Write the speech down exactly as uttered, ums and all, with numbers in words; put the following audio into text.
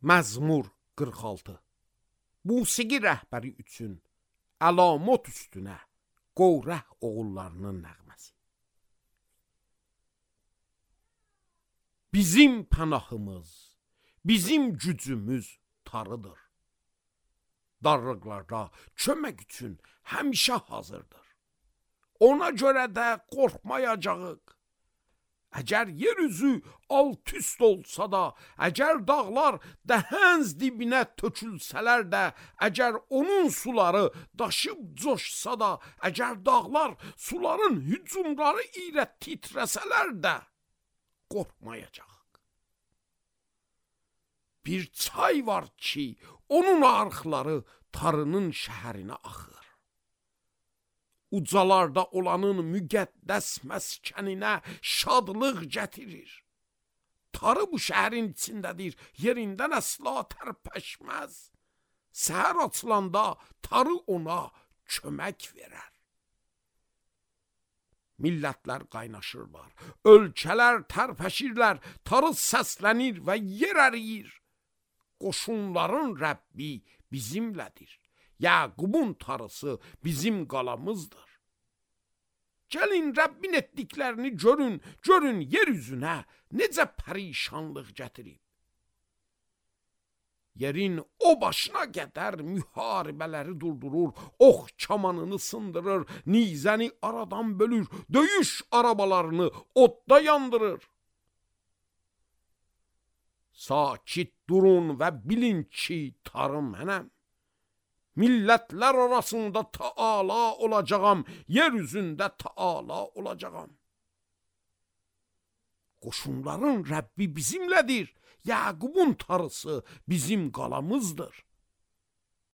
Məzmur qırx altı. Musiqi rəhbəri üçün əlamot üstünə Qorah oğullarının nəğməsi. Bizim pənahımız, bizim gücümüz tarıdır. Darlıqlarda kömək üçün həmişə hazırdır. Ona görə də qorxmayacağıq. Əgər yer üzü alt üst olsa da, əgər dağlar dəhənz dibinə tökülsələr də, əgər onun suları daşıb coşsa da, əgər dağlar suların hücumları ilə titrəsələr də, qorxmayacaq. Bir çay var ki, onun arxları tarının şəhərinə axır. Ucalarda olanın müqəddəs məskəninə şadlıq gətirir. Tarı bu şəhərin içindədir, yerindən əsla tərpəşməz. Səhər açılanda tarı ona kömək verər. Millətlər qaynaşırlar, ölkələr tərpəşirlər, tarı səslənir və yer əriyir. Qoşunların Rəbbi bizimlədir. Yaqubun tarısı bizim qalamızdır. Gəlin Rəbbin etdiklərini görün, görün yer üzünə necə pərişanlıq gətirib. Yerin o başına qədər müharibələri durdurur, ox kamanını sındırır, nizəni aradan bölür, döyüş arabalarını odda yandırır. Sakit durun və bilin ki, tarı mənəm. Millətlər arasında Taala olacağam, yer üzündə Taala olacağam. Qoşunların Rəbbi bizimlədir, Yaqubun tarısı bizim qalamızdır.